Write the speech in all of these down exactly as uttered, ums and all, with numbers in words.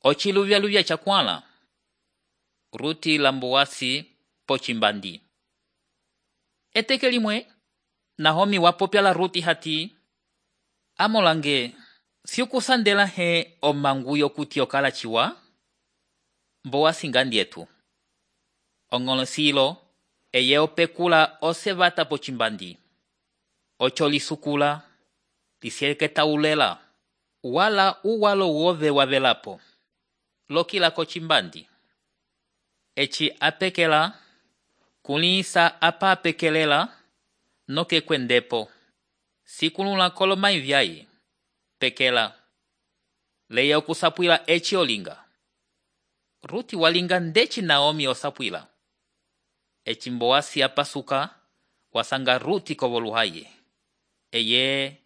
Ociluvyaluvya chakwala. Ruti lambuwasi pocimbandi. Eteke limwe, Naomi wapopyala Ruti hati, amolange, siukusandela he omanguyo kuti okala chiwa? Mboasi ngandietu. Ongolosilo, eye opekula osevata pocimbandi. Ocho lisukula, lisieketa ulela, wala uwalo wove wavelapo. Lokila kocimbandi. Echi apekela, kulisa apa apekelela, noke kwendepo. Sikulula kolomai vyai. Pekela. Leya okusapwila echi olinga. Ruti walinga ndechi Naomi osapwila. Echi Mboasi apasuka, wasanga Ruti kovoluhaye. Eye,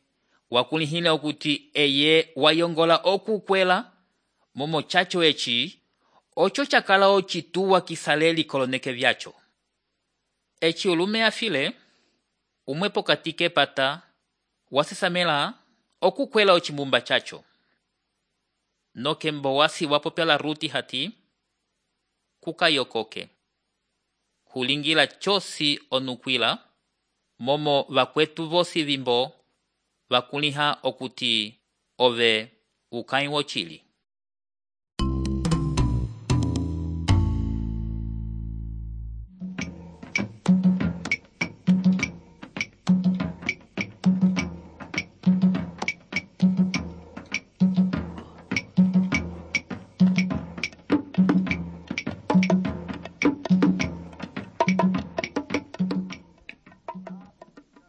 wakulihile okuti eye wayongola okukwela, momo chacho echi, ocho chakala ochituwa kisaleli koloneke vyacho. Echi ulume afile, umwepo katike pata, wasisamela, okukwela ochimbumba chacho. Noke Mboasi wapopyala Ruti hati, kuka yokoke. Hulingila chosi onukwila, momo vakwetu vosi vimbo, vakuliha okuti ove ukai wochili.